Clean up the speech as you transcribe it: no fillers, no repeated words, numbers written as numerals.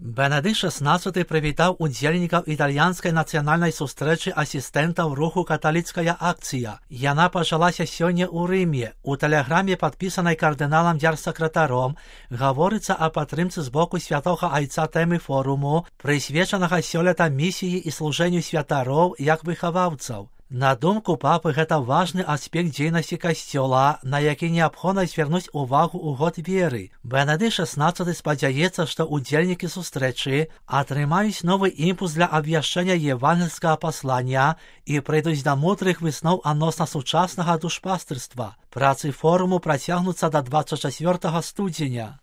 Бенедикт XVI привітав удзельнікаў італьянскай нацыянальнай сустрэчы асістэнтаў руху «Каталіцкая акцыя». Яна пачалася сёння ў Рыме. У тэлеграме, падпісанай кардыналам дзяржсакратаром, гаворыцца аб падтрымцы з боку святога айца тэмы форуму, прысвечанага сёлета місіі і служэнню святароў як выхаваўцаў. На думку папы, гэта важны аспект дзейнасці касцёла, на які неабходна звярнуць увагу ў год веры. Бенедикт XVI спадзяецца, што удзельнікі сустрэчы атрымаюць новы імпульс для абвяшчэння евангельскага паслання і прыйдуць да мудрых высноў адносна сучаснага душпастырства. Працы форуму працягнуцца да 24 студзеня.